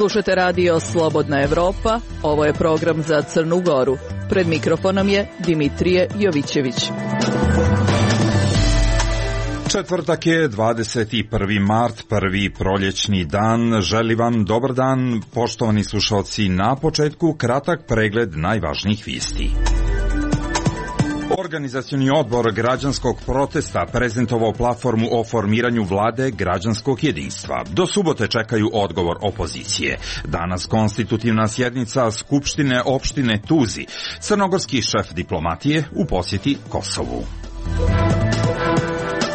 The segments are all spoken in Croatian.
Slušajte radio Slobodna Evropa, ovo je program za Crnu Goru. Pred mikrofonom je Dimitrije Jovićević. Četvrtak je 21. mart, prvi proljećni dan. Želim vam dobar dan, poštovani slušalci. Na početku kratak pregled najvažnijih vijesti. Organizacioni odbor građanskog protesta prezentovao platformu o formiranju vlade građanskog jedinstva. Do subote čekaju odgovor opozicije. Danas konstitutivna sjednica Skupštine opštine Tuzi. Crnogorski šef diplomatije u posjeti Kosovu.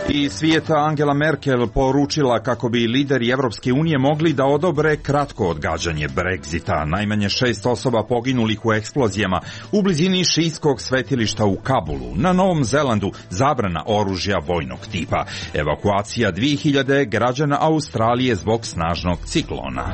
Iz svijeta Angela Merkel poručila kako bi lideri Evropske unije mogli da odobre kratko odgađanje Brexita. Najmanje 6 osoba poginulih u eksplozijama u blizini šijskog svetilišta u Kabulu. Na Novom Zelandu zabrana oružja vojnog tipa. Evakuacija 2000 građana Australije zbog snažnog ciklona.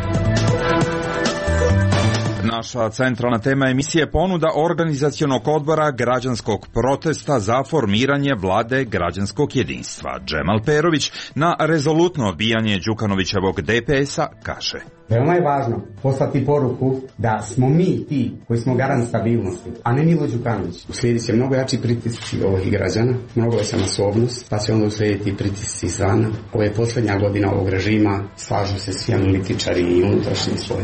Naša centralna tema emisije ponuda organizacionog odbora građanskog protesta za formiranje vlade građanskog jedinstva. Džemal Perović na rezolutno odbijanje Đukanovićevog DPS-a kaže: Veoma je važno poslati poruku da smo mi ti koji smo garant stabilnosti, a ne Milo Đukanović. Uslijedit će mnogo jači pritisci ovih građana, mnogo veća masovnost, pa će onda uslijediti pritisci izvana. Ovo je posljednja godina ovog režima, slažu se svi analitičari i unutrašnji sloj.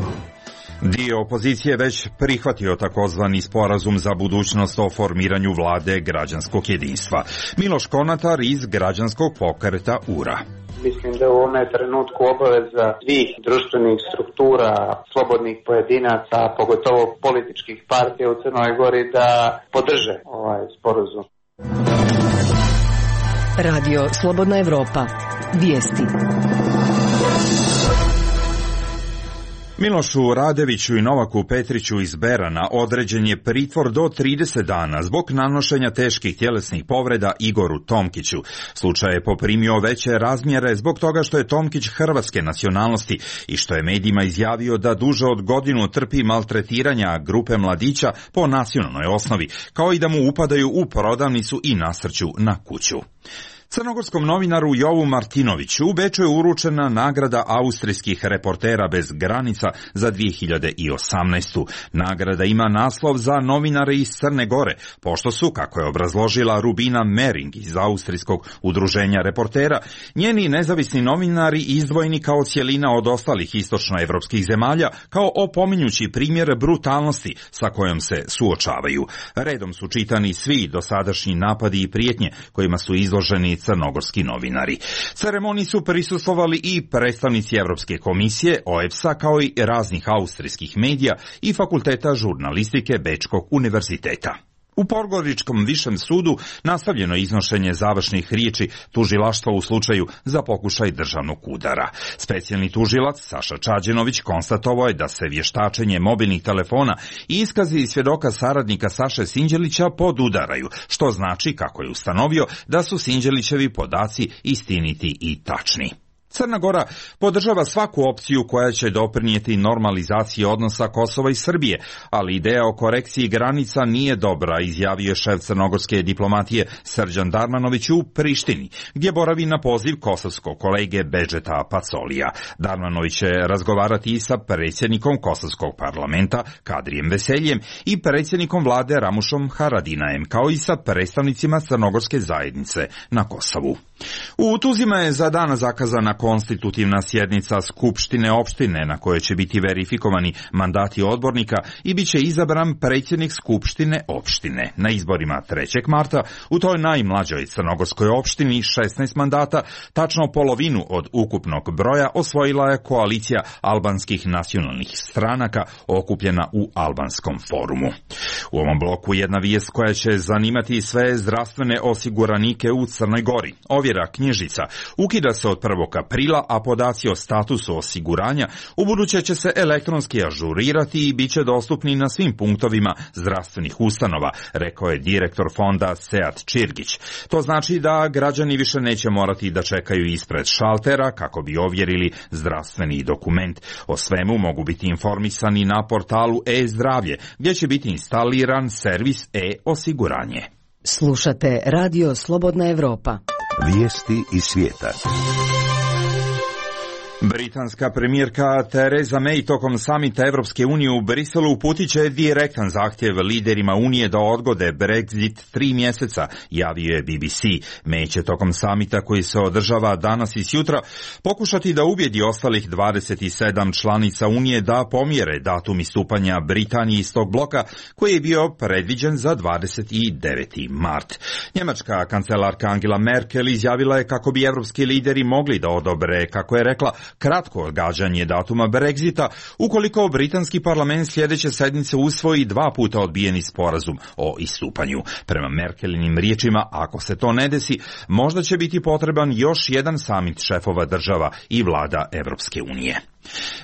Dio opozicije već prihvatio takozvani sporazum za budućnost o formiranju vlade građanskog jedinstva. Miloš Konatar iz građanskog pokreta URA. Mislim da u ovome trenutku obaveza svih društvenih struktura, slobodnih pojedinaca, a pogotovo političkih partija u Crnoj Gori da podrže ovaj sporazum. Radio Slobodna Evropa. Vijesti. Milošu Radeviću i Novaku Petriću iz Berana određen je pritvor do 30 dana zbog nanošenja teških tjelesnih povreda Igoru Tomkiću. Slučaj je poprimio veće razmjere zbog toga što je Tomkić hrvatske nacionalnosti i što je medijima izjavio da duže od godinu trpi maltretiranja grupe mladića po nacionalnoj osnovi, kao i da mu upadaju u prodavnicu i nasrću na kuću. Crnogorskom novinaru Jovu Martinoviću u Beču je uručena nagrada austrijskih reportera bez granica za 2018. Nagrada ima naslov za novinare iz Crne Gore, pošto su, kako je obrazložila Rubina Mering iz austrijskog udruženja reportera, njeni nezavisni novinari izdvojeni kao cjelina od ostalih istočnoevropskih zemalja, kao opominjući primjer brutalnosti sa kojom se suočavaju. Redom su čitani svi dosadašnji napadi i prijetnje kojima su izloženi crnogorski novinari. Ceremoniji su prisustvovali i predstavnici Evropske komisije, OEBS-a, kao i raznih austrijskih medija i fakulteta žurnalistike Bečkog univerziteta. U Podgoričkom višem sudu nastavljeno je iznošenje završnih riječi tužilaštva u slučaju za pokušaj državnog udara. Specijalni tužilac Saša Čađenović konstatovao je da se vještačenje mobilnih telefona i iskazi svjedoka saradnika Saše Sinđelića podudaraju, što znači, kako je ustanovio, da su Sinđelićevi podaci istiniti i tačni. Crna Gora podržava svaku opciju koja će doprinijeti normalizaciji odnosa Kosova i Srbije, ali ideja o korekciji granica nije dobra, izjavio je šef crnogorske diplomatije Srđan Darmanović u Prištini, gdje boravi na poziv kosovskog kolege Bedžeta Pacolija. Darmanović će razgovarati i sa predsjednikom kosovskog parlamenta Kadrijem Veseljem i predsjednikom vlade Ramušom Haradinajem, kao i sa predstavnicima crnogorske zajednice na Kosovu. U Tuzima je za danas zakazana konstitutivna sjednica Skupštine opštine na kojoj će biti verifikovani mandati odbornika i bit će izabran predsjednik Skupštine opštine. Na izborima 3. marta u toj najmlađoj crnogorskoj opštini 16 mandata, tačno polovinu od ukupnog broja, osvojila je koalicija albanskih nacionalnih stranaka okupljena u Albanskom forumu. U ovom bloku jedna vijest koja će zanimati sve zdravstvene osiguranike u Crnoj Gori. Ovjera knjižica ukida se od 1. aprila, a podaci o statusu osiguranja ubuduće će se elektronski ažurirati i bit će dostupni na svim punktovima zdravstvenih ustanova, rekao je direktor fonda Sead Čirgić. To znači da građani više neće morati da čekaju ispred šaltera kako bi ovjerili zdravstveni dokument. O svemu mogu biti informisani na portalu e-zdravlje, gdje će biti instaliran servis e-osiguranje. Slušate Radio Slobodna Evropa. Vijesti iz svijeta. Britanska premijerka Theresa May tokom samita Evropske unije u Briselu uputit će direktan zahtjev liderima Unije da odgode Brexit 3 mjeseca, javio je BBC. May će tokom samita koji se održava danas i sutra pokušati da ubijedi ostalih 27 članica Unije da pomjere datum istupanja Britanije iz tog bloka koji je bio predviđen za 29. mart. Njemačka kancelarka Angela Merkel izjavila je kako bi evropski lideri mogli da odobre, kako je rekla, kratko odgađanje datuma Brexita ukoliko britanski parlament sljedeće sedmice usvoji 2 puta odbijeni sporazum o istupanju. Prema Merkelinim riječima, ako se to ne desi, možda će biti potreban još jedan samit šefova država i vlada Evropske unije.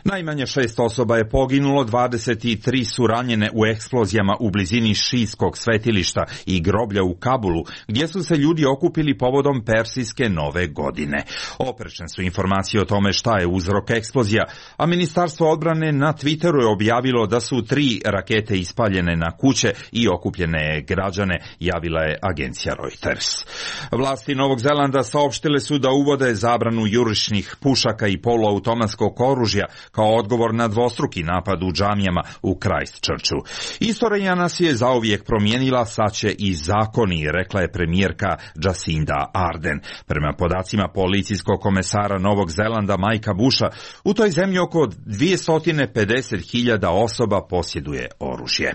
Najmanje 6 osoba je poginulo, 23 su ranjene u eksplozijama u blizini šijskog svetilišta i groblja u Kabulu, gdje su se ljudi okupili povodom Persijske nove godine. Oprečne su informacije o tome šta je uzrok eksplozija, a Ministarstvo odbrane na Twitteru je objavilo da su 3 rakete ispaljene na kuće i okupljene građane, javila je agencija Reuters. Vlasti Novog Zelanda saopštile su da uvode zabranu jurišnih pušaka i poluautomatskog oružja kao odgovor na dvostruki napad u džamijama u Christchurchu. Istorija nas je zauvijek promijenila, sad će i zakoni, rekla je premijerka Jacinda Ardern. Prema podacima policijskog komesara Novog Zelanda Mikea Busha, u toj zemlji oko 250.000 osoba posjeduje oružje.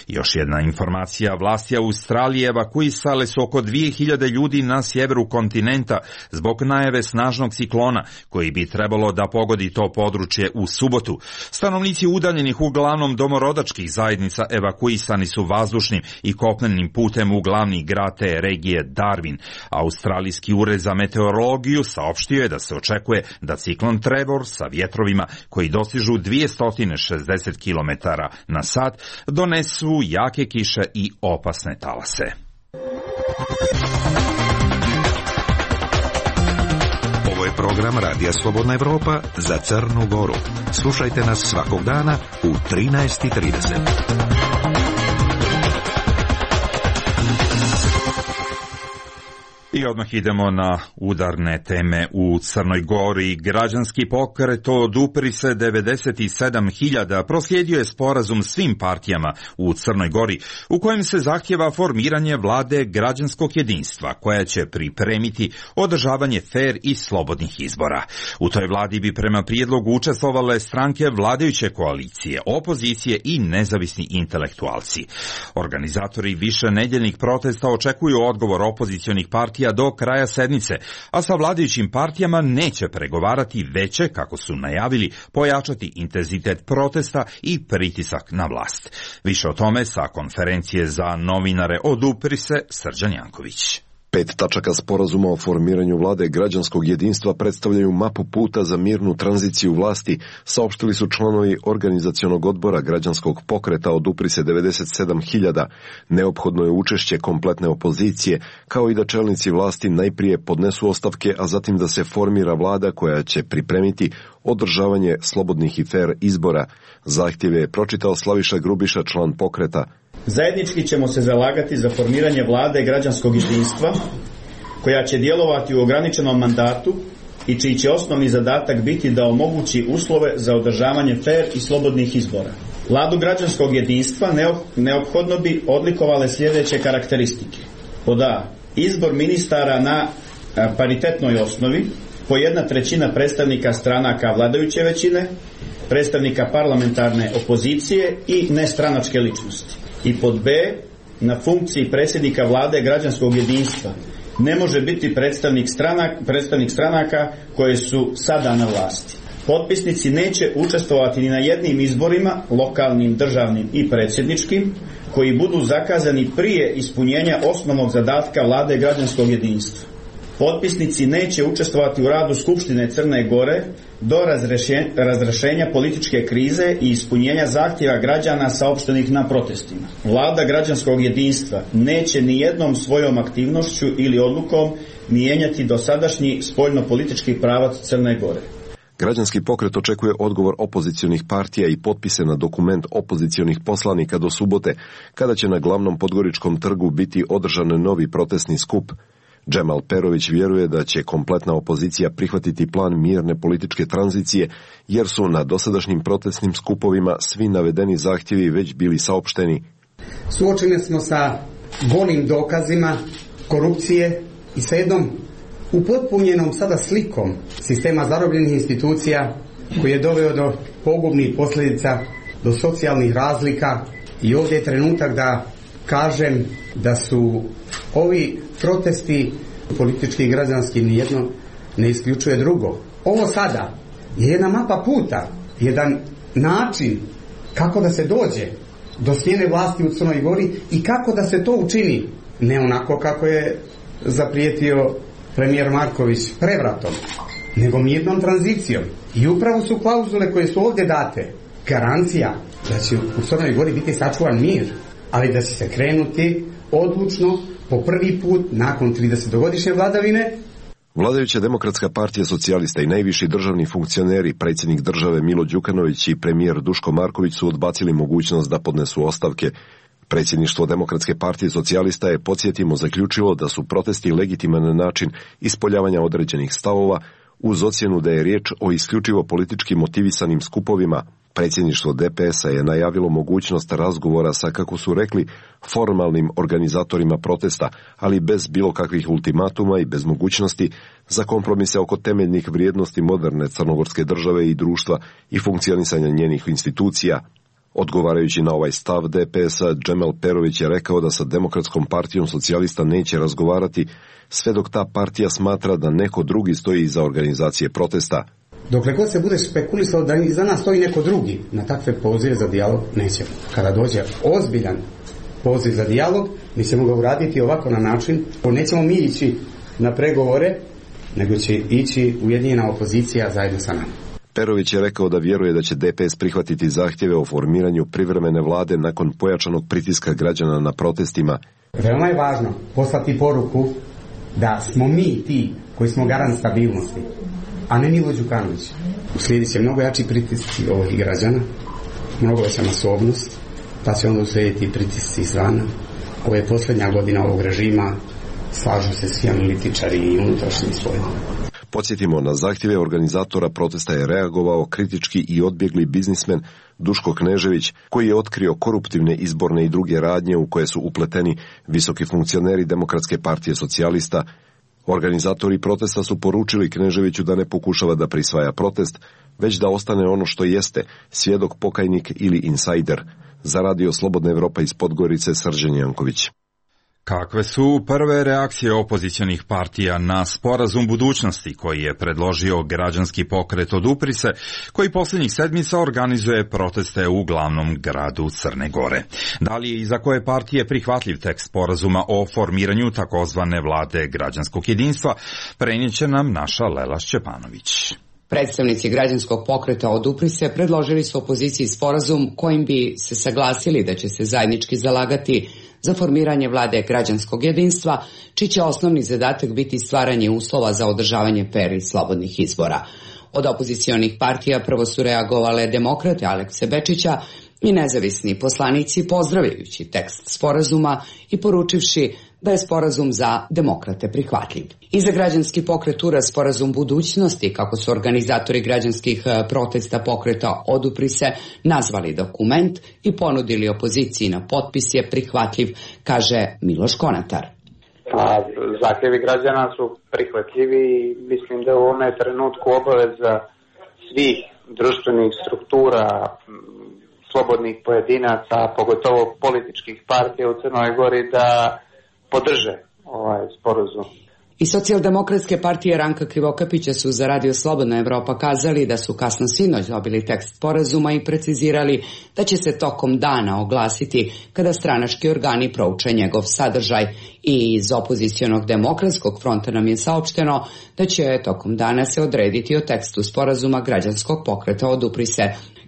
Još jedna informacija, vlasti Australije evakuisale su oko 2.000 ljudi na sjeveru kontinenta zbog najave snažnog ciklona koji bi trebalo da pogodi to područje u subotu. Stanovnici udaljenih uglavnom domorodačkih zajednica evakuisani su vazdušnim i kopnenim putem u glavni grad te regije Darwin. Australijski ured za meteorologiju saopštio je da se očekuje da ciklon Trevor sa vjetrovima koji dostižu 260 km na sat donesu jake kiše i opasne talase. Program Radija Slobodna Evropa za Crnu Goru. Slušajte nas svakog dana u 13:30. I odmah idemo na udarne teme u Crnoj Gori. Građanski pokret Odupri se 97.000 proslijedio je sporazum svim partijama u Crnoj Gori u kojem se zahtjeva formiranje vlade građanskog jedinstva koja će pripremiti održavanje fer i slobodnih izbora. U toj vladi bi prema prijedlogu učestvovale stranke vladajuće koalicije, opozicije i nezavisni intelektualci. Organizatori višenedjeljnih protesta očekuju odgovor opozicionih partija do kraja sedmice, a sa vladajućim partijama neće pregovarati, već će, kako su najavili, pojačati intenzitet protesta i pritisak na vlast. Više o tome sa konferencije za novinare Odupri se Srđan Janković. 5 tačaka sporazuma o formiranju vlade građanskog jedinstva predstavljaju mapu puta za mirnu tranziciju vlasti, saopštili su članovi organizacionog odbora građanskog pokreta Odupri se 97.000. Neophodno je učešće kompletne opozicije, kao i da čelnici vlasti najprije podnesu ostavke, a zatim da se formira vlada koja će pripremiti održavanje slobodnih i fer izbora. Zahtjeve je pročitao Slaviša Grubiša, član pokreta. Zajednički ćemo se zalagati za formiranje vlade građanskog jedinstva koja će djelovati u ograničenom mandatu i čiji će osnovni zadatak biti da omogući uslove za održavanje fer i slobodnih izbora. Vladu građanskog jedinstva neophodno bi odlikovale sljedeće karakteristike. Pod A. Izbor ministara na paritetnoj osnovi, po 1/3 predstavnika stranaka vladajuće većine, predstavnika parlamentarne opozicije i nestranačke ličnosti. I pod B, na funkciji predsjednika vlade građanskog jedinstva ne može biti predstavnik stranaka koje su sada na vlasti. Potpisnici neće učestvovati ni na jednim izborima, lokalnim, državnim i predsjedničkim, koji budu zakazani prije ispunjenja osnovnog zadatka vlade građanskog jedinstva. Potpisnici neće učestvovati u radu Skupštine Crne Gore do razrješenja političke krize i ispunjenja zahtjeva građana saopštenih na protestima. Vlada građanskog jedinstva neće ni jednom svojom aktivnošću ili odlukom mijenjati dosadašnji spoljno-politički pravac Crne Gore. Građanski pokret očekuje odgovor opozicionih partija i potpise na dokument opozicionih poslanika do subote, kada će na glavnom Podgoričkom trgu biti održan novi protestni skup. Džemal Perović vjeruje da će kompletna opozicija prihvatiti plan mirne političke tranzicije, jer su na dosadašnjim protestnim skupovima svi navedeni zahtjevi već bili saopšteni. Suočeni smo sa golim dokazima korupcije i sa jednom upotpunjenom sada slikom sistema zarobljenih institucija koji je doveo do pogubnih posljedica, do socijalnih razlika, i ovdje je trenutak da kažem da su ovi protesti politički i građanski, nijedno ne isključuje drugo. Ovo sada je jedna mapa puta, jedan način kako da se dođe do smjene vlasti u Crnoj Gori i kako da se to učini, ne onako kako je zaprijetio premijer Marković prevratom, nego mirnom tranzicijom. I upravo su klauzule koje su ovdje date garancija da će u Crnoj Gori biti sačuvan mir, ali da će se krenuti odlučno po prvi put nakon 30-godišnje vladavine. Vladajuća Demokratska partija socijalista i najviši državni funkcioneri, predsjednik države Milo Đukanović i premijer Duško Marković su odbacili mogućnost da podnesu ostavke. Predsjedništvo Demokratske partije socijalista je, podsjetimo, zaključilo da su protesti legitiman način ispoljavanja određenih stavova, uz ocjenu da je riječ o isključivo politički motivisanim skupovima. Predsjedništvo DPS-a je najavilo mogućnost razgovora sa, kako su rekli, formalnim organizatorima protesta, ali bez bilo kakvih ultimatuma i bez mogućnosti za kompromise oko temeljnih vrijednosti moderne crnogorske države i društva i funkcionisanja njenih institucija. Odgovarajući na ovaj stav DPS-a, Džemal Perović je rekao da sa Demokratskom partijom socijalista neće razgovarati sve dok ta partija smatra da neko drugi stoji iza organizacije protesta. Dokle god se bude špekulisalo da iza nas stoji neko drugi, na takve pozive za dijalog nećemo. Kada dođe ozbiljan poziv za dijalog, mi ćemo ga uraditi ovako na način, nećemo mi ići na pregovore, nego će ići ujedinjena opozicija zajedno sa nama. Perović je rekao da vjeruje da će DPS prihvatiti zahtjeve o formiranju privremene vlade nakon pojačanog pritiska građana na protestima. Veoma je važno poslati poruku da smo mi ti koji smo garant stabilnosti, a ne Milo Đukanović. Uslijedit će mnogo jači pritisci ovih građana, mnogo veća masovnost, pa će onda uslijediti pritisci izvana. Ovo je posljednja godina ovog režima, slažu se svi analitičari i unutrašnji spoljni. Podsjetimo, na zahtjeve organizatora protesta je reagovao kritički i odbjegli biznismen Duško Knežević, koji je otkrio koruptivne izborne i druge radnje u koje su upleteni visoki funkcioneri Demokratske partije socijalista. Organizatori protesta su poručili Kneževiću da ne pokušava da prisvaja protest, već da ostane ono što jeste, svjedok, pokajnik ili insajder. Za Radio Slobodna Evropa iz Podgorice, Srđan Janković. Kakve su prve reakcije opozicionih partija na sporazum budućnosti koji je predložio građanski pokret Odupri se, koji posljednjih sedmica organizuje proteste u glavnom gradu Crne Gore? Da li je i za koje partije prihvatljiv tekst sporazuma o formiranju takozvane vlade građanskog jedinstva, prenijet će nam naša Lela Šćepanović. Predstavnici građanskog pokreta Odupri se predložili su opoziciji sporazum kojim bi se saglasili da će se zajednički zalagati za formiranje vlade građanskog jedinstva, čiji će osnovni zadatak biti stvaranje uslova za održavanje fer i slobodnih izbora. Od opozicionih partija prvo su reagovale Demokrate Alekse Bečića i nezavisni poslanici, pozdravljajući tekst sporazuma i poručivši da je sporazum za Demokrate prihvatljiv. I za građanski pokret URA sporazum budućnosti, kako su organizatori građanskih protesta pokreta Odupri se nazvali dokument i ponudili opoziciji na potpis, je prihvatljiv, kaže Miloš Konatar. Zahtjevi građana su prihvatljivi i mislim da u ovome trenutku obaveza svih društvenih struktura, slobodnih pojedinaca, pogotovo političkih partija u Crnoj Gori, da podrže ovaj sporazum. I Socijaldemokratske partije Ranka Krivokapića su za Radio Slobodna Evropa kazali da su kasno sinoć dobili tekst sporazuma i precizirali da će se tokom dana oglasiti kada stranački organi prouče njegov sadržaj. I iz opozicionog Demokratskog fronta nam je saopšteno da će tokom dana se odrediti o tekstu sporazuma građanskog pokreta Odupri se.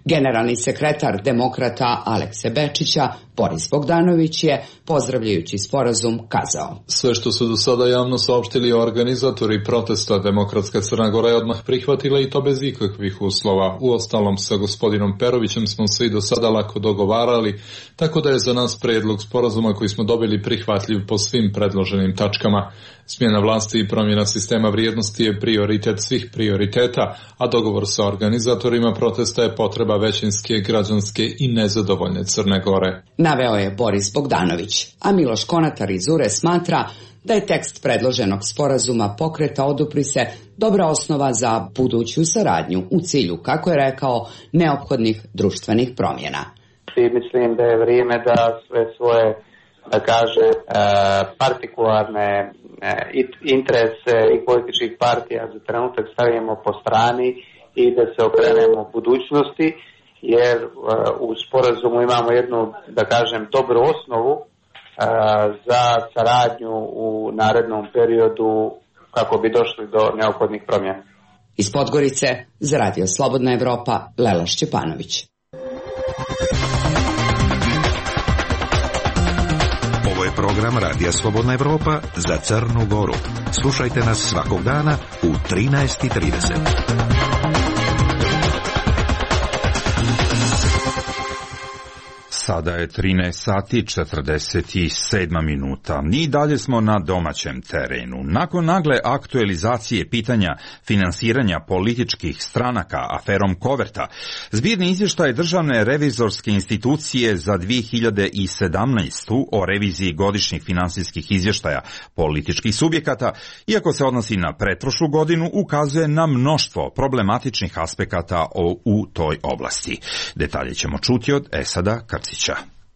Generalni sekretar demokrata Alekse Bečića, Boris Bogdanović, je, pozdravljajući sporazum, kazao: Sve što su do sada javno saopštili organizatori protesta, Demokratska Crna Gora je odmah prihvatila i to bez ikakvih uslova. Uostalom, sa gospodinom Perovićem smo se i do sada lako dogovarali, tako da je za nas predlog sporazuma koji smo dobili prihvatljiv po svim predloženim tačkama. Smjena vlasti i promjena sistema vrijednosti je prioritet svih prioriteta, a dogovor sa organizatorima protesta je potreba većinske, građanske i nezadovoljne Crne Gore. Naveo je Boris Bogdanović, a Miloš Konatar iz URE smatra da je tekst predloženog sporazuma Pokreta odupri se dobra osnova za buduću saradnju u cilju, kako je rekao, neophodnih društvenih promjena. Mislim da je vrijeme da sve svoje, da kaže, partikularne interese i političkih partija za trenutak stavimo po strani i da se okrenemo budućnosti, jer u sporazumu imamo jednu, da kažem, dobru osnovu za saradnju u narednom periodu kako bi došli do neophodnih promjena. Iz Podgorice za Radio Slobodna Evropa, Lela Šćepanović. Ovo je program Radija Slobodna Evropa za Crnu Goru. Slušajte nas svakog dana u 13:30. Sada je 13 sati 47 minuta. I dalje smo na domaćem terenu. Nakon nagle aktualizacije pitanja finansiranja političkih stranaka aferom Koverta, zbirni izvještaj Državne revizorske institucije za 2017. o reviziji godišnjih finansijskih izvještaja političkih subjekata, iako se odnosi na pretprošlu godinu, ukazuje na mnoštvo problematičnih aspekata u toj oblasti. Detalje ćemo čuti od Esada Krcića.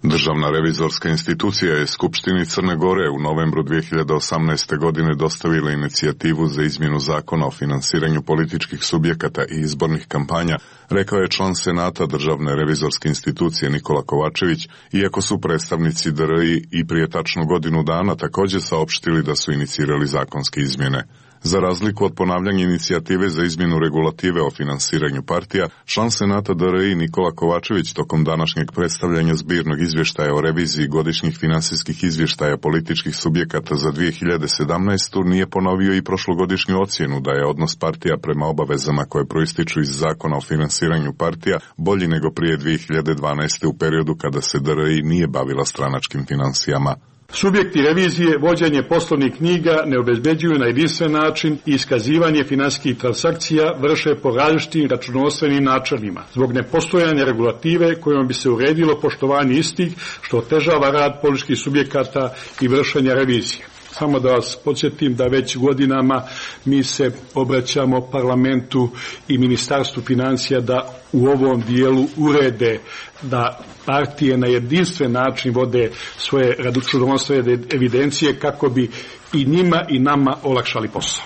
Državna revizorska institucija je Skupštini Crne Gore u novembru 2018. godine dostavila inicijativu za izmjenu zakona o finansiranju političkih subjekata i izbornih kampanja, rekao je član Senata Državne revizorske institucije Nikola Kovačević, iako su predstavnici DRI i prije tačno godinu dana također saopštili da su inicirali zakonske izmjene. Za razliku od ponavljanja inicijative za izmjenu regulative o finansiranju partija, član Senata DRI Nikola Kovačević tokom današnjeg predstavljanja zbirnog izvještaja o reviziji godišnjih finansijskih izvještaja političkih subjekata za 2017. nije ponovio i prošlogodišnju ocjenu da je odnos partija prema obavezama koje proističu iz zakona o finansiranju partija bolji nego prije 2012. u periodu kada se DRI nije bavila stranačkim financijama. Subjekti revizije vođenje poslovnih knjiga ne obezbeđuju na jedinstven način i iskazivanje finansijskih transakcija vrše po različitim računovodstvenim načelima, zbog nepostojanja regulative kojom bi se uredilo poštovanje istih, što otežava rad političkih subjekata i vršenja revizije. Samo da vas podsjetim da već godinama mi se obraćamo parlamentu i ministarstvu financija da u ovom dijelu urede da partije na jedinstven način vode svoje računovodstvene evidencije kako bi i njima i nama olakšali posao.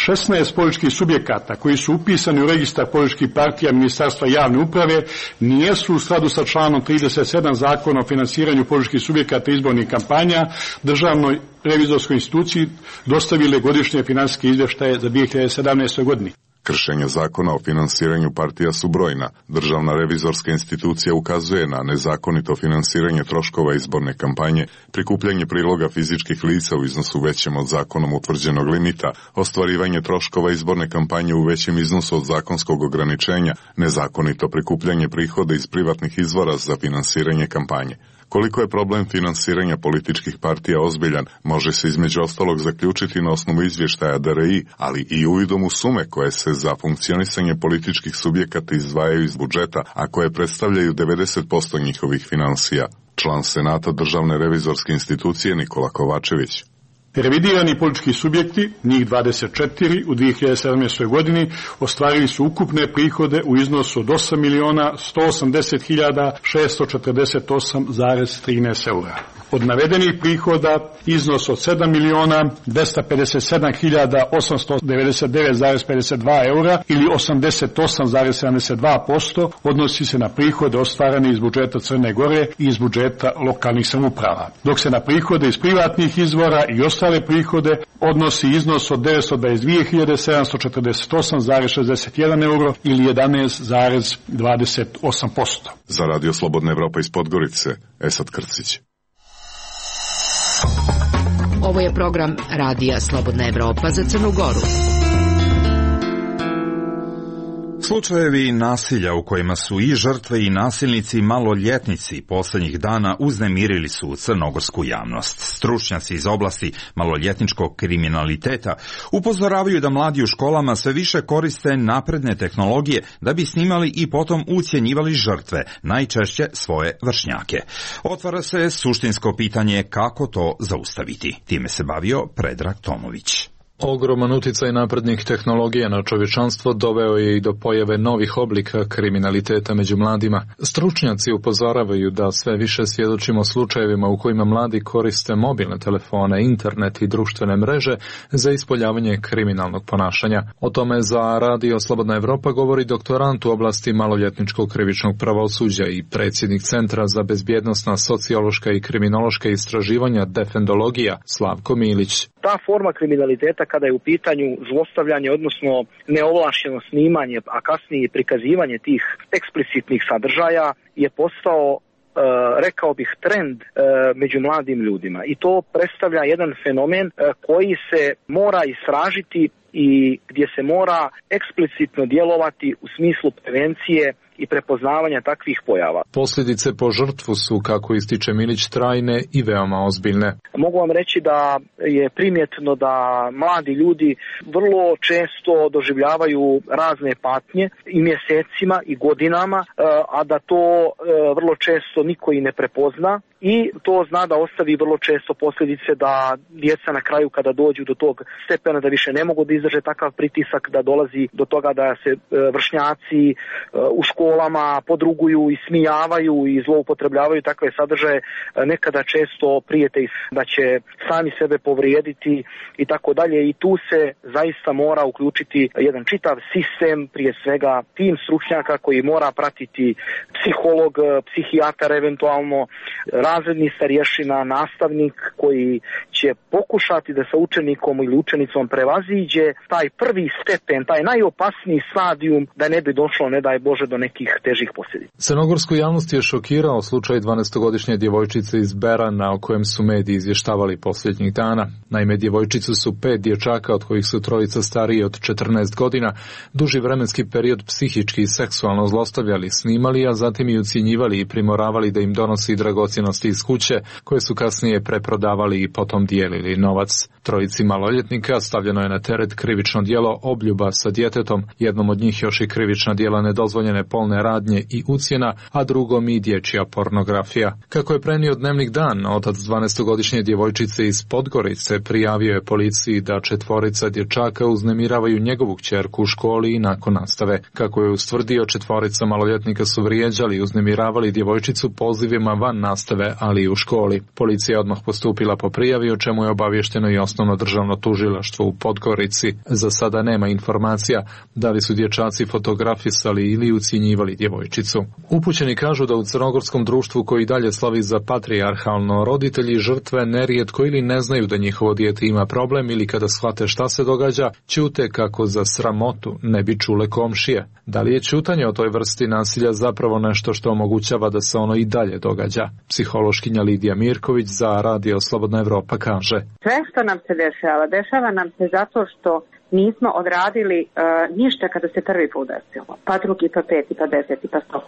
16 političkih subjekata koji su upisani u registar političkih partija Ministarstva javne uprave nijesu u skladu sa članom 37 Zakona o finansiranju političkih subjekata izbornih kampanja Državnoj revizorskoj instituciji dostavile godišnje finansijske izvještaje za 2017. godini. Kršenja zakona o finansiranju partija su brojna. Državna revizorska institucija ukazuje na nezakonito finansiranje troškova izborne kampanje, prikupljanje priloga fizičkih lica u iznosu većem od zakonom utvrđenog limita, ostvarivanje troškova izborne kampanje u većem iznosu od zakonskog ograničenja, nezakonito prikupljanje prihoda iz privatnih izvora za finansiranje kampanje. Koliko je problem finansiranja političkih partija ozbiljan, može se između ostalog zaključiti na osnovu izvještaja DRI, ali i uvidom u sume koje se za funkcionisanje političkih subjekata izdvajaju iz budžeta, a koje predstavljaju 90% njihovih financija. Član Senata Državne revizorske institucije Nikola Kovačević. Revidirani politički subjekti, njih 24 u 2017. godini, ostvarili su ukupne prihode u iznosu od 8.180.648,13 eura. Od navedenih prihoda iznos od 7.257.899,52 eura ili 88,72% odnosi se na prihode ostvarene iz budžeta Crne Gore i iz budžeta lokalnih samouprava, dok se na prihode iz privatnih izvora i ostale prihode odnosi iznos od 922.748,61 euro ili 11,28%. Za Radio Slobodna Evropa iz Podgorice, Esad Krcić. Ovo je program Radija Slobodna Evropa za Crnu Goru. Slučajevi nasilja u kojima su i žrtve i nasilnici maloljetnici posljednjih dana uznemirili su crnogorsku javnost. Stručnjaci iz oblasti maloljetničkog kriminaliteta upozoravaju da mladi u školama sve više koriste napredne tehnologije da bi snimali i potom ucjenjivali žrtve, najčešće svoje vršnjake. Otvara se suštinsko pitanje kako to zaustaviti. Time se bavio Predrag Tomović. Ogroman uticaj naprednih tehnologija na čovječanstvo doveo je i do pojave novih oblika kriminaliteta među mladima. Stručnjaci upozoravaju da sve više svjedočimo slučajevima u kojima mladi koriste mobilne telefone, internet i društvene mreže za ispoljavanje kriminalnog ponašanja. O tome za Radio Slobodna Evropa govori doktorant u oblasti maloljetničkog krivičnog pravosuđa i predsjednik Centra za bezbjednosna sociološka i kriminološka istraživanja Defendologija Slavko Milić. Ta forma kriminaliteta kada je u pitanju zlostavljanje, odnosno neovlašćeno snimanje, a kasnije prikazivanje tih eksplicitnih sadržaja je postao, rekao bih, trend među mladim ljudima. I to predstavlja jedan fenomen koji se mora istražiti i gdje se mora eksplicitno djelovati u smislu prevencije i prepoznavanja takvih pojava. Posljedice po žrtvu su, kako ističe Milić, trajne i veoma ozbiljne. Mogu vam reći da je primjetno da mladi ljudi vrlo često doživljavaju razne patnje i mjesecima i godinama, a da to vrlo često niko i ne prepozna. I to zna da ostavi vrlo često posljedice da djeca na kraju kada dođu do tog stepena da više ne mogu da izdrže takav pritisak, da dolazi do toga da se vršnjaci u školama podruguju i smijavaju i zloupotrebljavaju takve sadržaje, nekada često prijete da će sami sebe povrijediti i tako dalje. I tu se zaista mora uključiti jedan čitav sistem, prije svega tim stručnjaka koji mora pratiti psiholog, psihijatar eventualno, razredni starješina, nastavnik koji će pokušati da sa učenikom ili učenicom prevaziđe taj prvi stepen, taj najopasniji stadijum da ne bi došlo, ne daj Bože, do nekih težih posljedica. Crnogorsku javnost je šokirao slučaj 12-godišnje djevojčice iz Berana o kojem su mediji izvještavali posljednjih dana. Naime, djevojčicu su 5 dječaka, od kojih su 3 stariji od 14 godina, duži vremenski period psihički i seksualno zlostavljali, snimali, a zatim i ucjenjivali i primoravali da im donosi dragocjenosti iz kuće, koje su kasnije preprodavali i potom dijelili novac. 3 maloljetnika stavljeno je na teret krivično djelo obljuba sa djetetom, jednom od njih još i krivična djela nedozvoljene polne radnje i ucjena, a drugom i dječja pornografija. Kako je prenio Dnevnik Dan, otac 12-godišnje djevojčice iz Podgorice prijavio je policiji da 4 dječaka uznemiravaju njegovu kćerku u školi i nakon nastave. Kako je ustvrdio, 4 maloljetnika su vrijeđali i uznemiravali djevojčicu pozivima van nastave, ali i u školi. Policija je odmah postupila po prijavi, o čemu je obavješteno i Osnovno državno tužilaštvo u Podgorici. Za sada nema informacija da li su dječaci fotografisali ili ucjenjivali djevojčicu. Upućeni kažu da u crnogorskom društvu koji dalje slavi za patrijarhalno, roditelji žrtve nerijetko ili ne znaju da njihovo dijete ima problem ili kada shvate šta se događa, ćute kako za sramotu ne bi čule komšije. Da li je ćutanje o toj vrsti nasilja zapravo nešto što omogućava da se ono i dalje događa? Psihološkinja Lidija Mirković za Radio Slobodna Evropa kaže: Sve što nam se dešava nam se zato što nismo odradili ništa kada se prvi put desilo. Pa drugi, pa peti, pa 10, pa 100.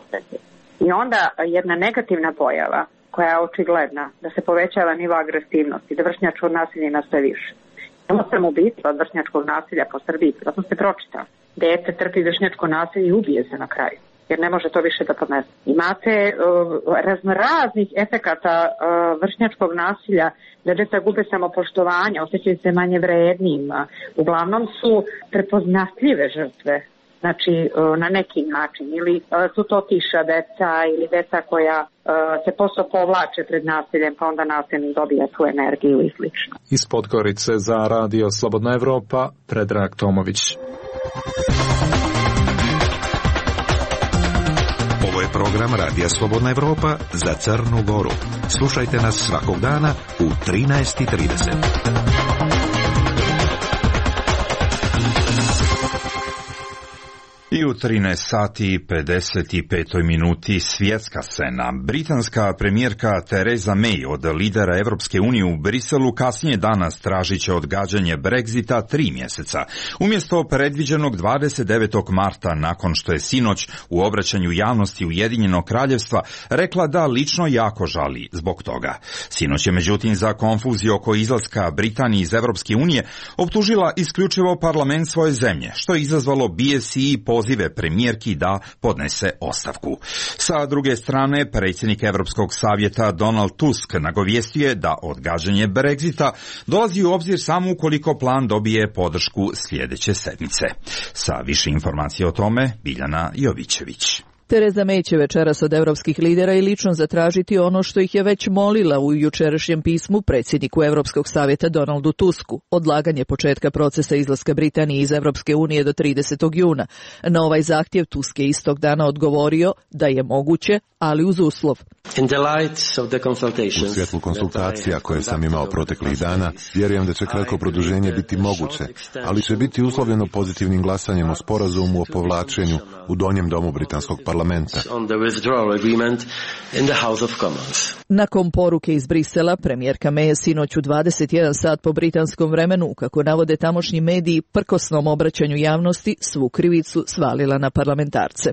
I onda jedna negativna pojava koja je očigledna, da se povećava nivo agresivnosti, da vršnjačko nasilje ima sve više. Samo sam ubistva od vršnjačkog nasilja po Srbiji, zato ste pročitali. Dete trpi vršnjačko nasilje i ubije se na kraju, jer ne može to više da podnese. Imate raznih efekata vršnjačkog nasilja, da djeca gube samopoštovanje, osjećaju se manje vrednijima. Uglavnom su prepoznatljive žrtve znači na neki način, ili su to tiša deca ili deca koja se posle povlače pred nasiljem, pa onda nasilnik dobija tu energiju i slično. Iz Podgorice za Radio Slobodna Evropa, Predrag Tomović. Ovo je program Radija Slobodna Evropa za Crnu Goru. Slušajte nas svakog dana u 13:30. I u 13 sati i 55 minuti svjetska scena. Britanska premijerka Theresa May od lidera Evropske unije u Briselu kasnije danas tražit će odgađanje Brexita 3 mjeseca. Umjesto predviđenog 29. marta, nakon što je sinoć u obraćanju javnosti Ujedinjenog kraljevstva rekla da lično jako žali zbog toga. Sinoć je međutim za konfuziju oko izlaska Britanije iz Evropske unije optužila isključivo parlament svoje zemlje, što je izazvalo bijes i pozive premijerki da podnese ostavku. Sa druge strane, predsjednik Europskog savjeta Donald Tusk nagovijestio je da odgađanje Brexita dolazi u obzir samo ukoliko plan dobije podršku sljedeće sedmice. Sa više informacija o tome, Biljana Jovićević. Theresa May će večeras od europskih lidera i lično zatražiti ono što ih je već molila u jučerašnjem pismu predsjedniku Europskog savjeta Donaldu Tusku, odlaganje početka procesa izlaska Britanije iz Europske unije do 30. juna. Na ovaj zahtjev Tusk je istog dana odgovorio da je moguće, ali uz uslov. U svjetlu konsultacija koje sam imao proteklih dana, vjerujem da će kratko produženje biti moguće, ali će biti uslovljeno pozitivnim glasanjem o sporazumu o povlačenju u donjem domu britanskog parlamenta. Nakon poruke iz Brisela, premijerka May je sinoć u 21 sat po britanskom vremenu, kako navode tamošnji mediji, prkosnom obraćanju javnosti svu krivicu svalila na parlamentarce.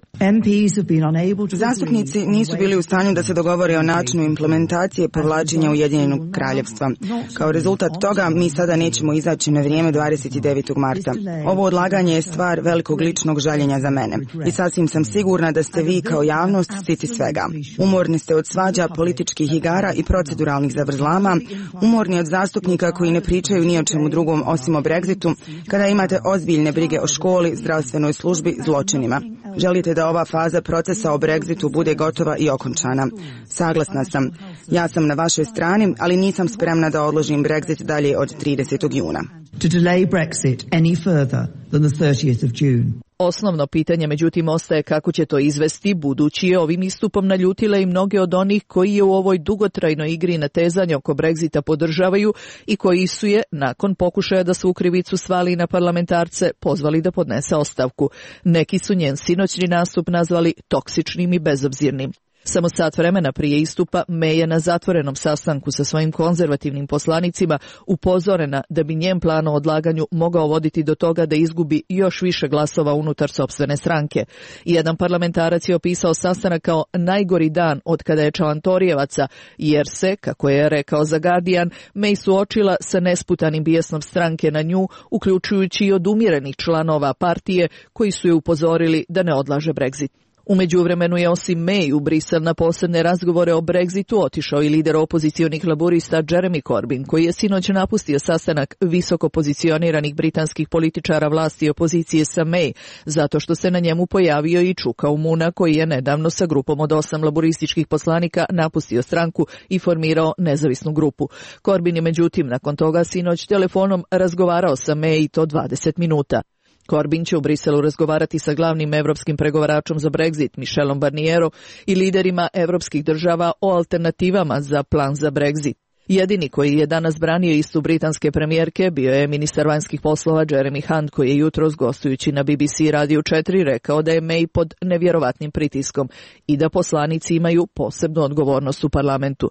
Zastupnici nisu bili u stanju da se dogovore o načinu implementacije povlačenja Ujedinjenog kraljevstva. Kao rezultat toga mi sada nećemo izaći na vrijeme 29. marta. Ovo odlaganje je stvar velikog ličnog žaljenja za mene. I sasvim sam sigurna da ste vi kao javnost siti svega. Umorni ste od svađa, političkih igara i proceduralnih zavrzlama, umorni od zastupnika koji ne pričaju ni o čemu drugom osim o Brexitu, kada imate ozbiljne brige o školi, zdravstvenoj službi, zločinima. Želite da ova faza procesa o Brexitu bude gotova i okončana. Saglasna sam. Ja sam na vašoj strani, ali nisam spremna da odložim Brexit dalje od 30. juna. To delay Brexit any further than the 30th of June. Osnovno pitanje, međutim, ostaje kako će to izvesti, budući je ovim istupom naljutila i mnoge od onih koji je u ovoj dugotrajnoj igri natezanja oko Brexita podržavaju i koji su je, nakon pokušaja da svu krivicu svali na parlamentarce, pozvali da podnese ostavku. Neki su njen sinoćni nastup nazvali toksičnim i bezobzirnim. Samo sat vremena prije istupa, May je na zatvorenom sastanku sa svojim konzervativnim poslanicima upozorena da bi njen plan o odlaganju mogao voditi do toga da izgubi još više glasova unutar sopstvene stranke. Jedan parlamentarac je opisao sastanak kao najgori dan od kada je Čalantorijevaca, jer se, kako je rekao za Guardian, May suočila sa nesputanim bijesnom stranke na nju, uključujući i odumirenih članova partije koji su je upozorili da ne odlaže Brexit. U međuvremenu je osim May u Brisel na posebne razgovore o Brexitu otišao i lider opozicionih laburista Jeremy Corbyn, koji je sinoć napustio sastanak visoko pozicioniranih britanskih političara vlasti i opozicije sa May, zato što se na njemu pojavio i Čuka Umuna, koji je nedavno sa grupom od 8 laburističkih poslanika napustio stranku i formirao nezavisnu grupu. Corbyn je međutim nakon toga sinoć telefonom razgovarao sa May i to 20 minuta. Corbyn će u Briselu razgovarati sa glavnim evropskim pregovaračom za Brexit, Michelom Barnierom, i liderima evropskih država o alternativama za plan za Brexit. Jedini koji je danas branio istu britanske premijerke bio je ministar vanjskih poslova Jeremy Hunt, koji je jutros gostujući na BBC Radiju 4 rekao da je May pod nevjerovatnim pritiskom i da poslanici imaju posebnu odgovornost u parlamentu.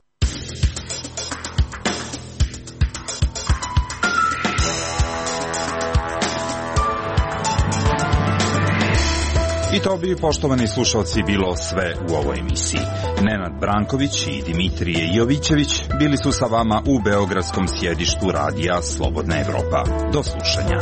I to bi, poštovani slušalci, bilo sve u ovoj emisiji. Nenad Branković i Dimitrije Jovićević bili su sa vama u beogradskom sjedištu Radija Slobodna Evropa. Do slušanja.